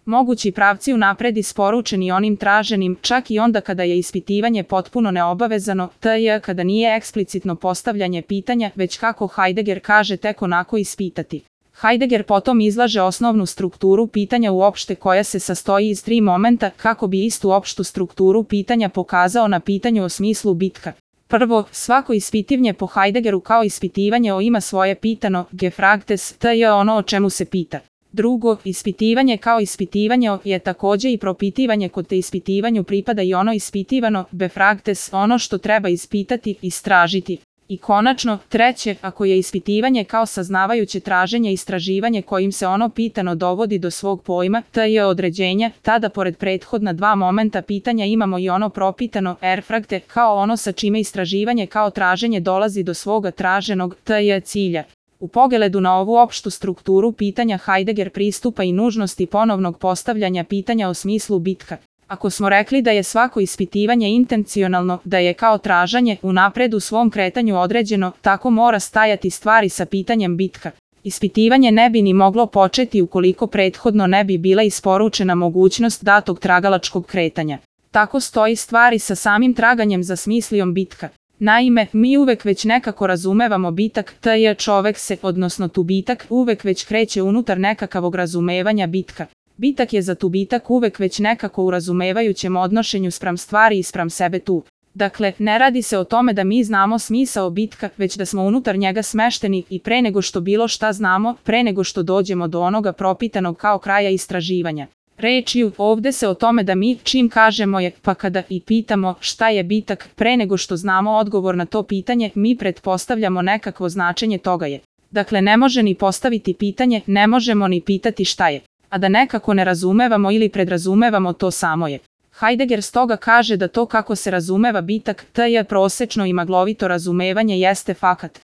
Mogući pravci unapred isporučeni onim traženim, čak i onda kada je ispitivanje potpuno neobavezano, t.j. kada nije eksplicitno postavljanje pitanja, već kako Heidegger kaže tek onako ispitati. Heidegger potom izlaže osnovnu strukturu pitanja uopšte koja se sastoji iz 3 momenta kako bi istu opštu strukturu pitanja pokazao na pitanju o smislu bitka. Prvo, svako ispitivanje po Heideggeru kao ispitivanje o ima svoje pitano, gefragtes, t.j. ono o čemu se pita. Drugo, ispitivanje kao ispitivanje je takođe i propitivanje kod te ispitivanju pripada i ono ispitivano, befragtes, ono što treba ispitati, istražiti. I konačno, treće, ako je ispitivanje kao saznavajuće traženje i istraživanje kojim se ono pitano dovodi do svog pojma, t.j. određenja, tada pored prethodna 2 momenta pitanja imamo i ono propitano, erfragte, kao ono sa čime istraživanje kao traženje dolazi do svoga traženog, t.j. cilja. U pogledu na ovu opštu strukturu pitanja Heidegger pristupa i nužnosti ponovnog postavljanja pitanja o smislu bitka. Ako smo rekli da je svako ispitivanje intencionalno, da je kao tražanje unapred u svom kretanju određeno, tako mora stajati stvari sa pitanjem bitka. Ispitivanje ne bi ni moglo početi ukoliko prethodno ne bi bila isporučena mogućnost datog tragalačkog kretanja. Tako stoji stvari sa samim traganjem za smislijom bitka. Naime, mi uvek već nekako razumevamo bitak, t.j. čovek se, odnosno tubitak, uvek već kreće unutar nekakavog razumevanja bitka. Bitak je za tubitak uvek već nekako u razumevajućem odnošenju spram stvari i spram sebe tu. Dakle, ne radi se o tome da mi znamo smisao bitka, već da smo unutar njega smešteni i pre nego što bilo šta znamo, pre nego što dođemo do onoga propitanog kao kraja istraživanja. Rečju, ovde se o tome da mi, čim kažemo je, pa kada i pitamo šta je bitak, pre nego što znamo odgovor na to pitanje, mi pretpostavljamo nekakvo značenje toga je. Dakle, ne može ni postaviti pitanje, ne možemo ni pitati šta je. A da nekako ne razumevamo ili predrazumevamo to samo je. Heidegger stoga kaže da to kako se razumeva bitak, t.j. prosečno i maglovito razumevanje jeste fakat.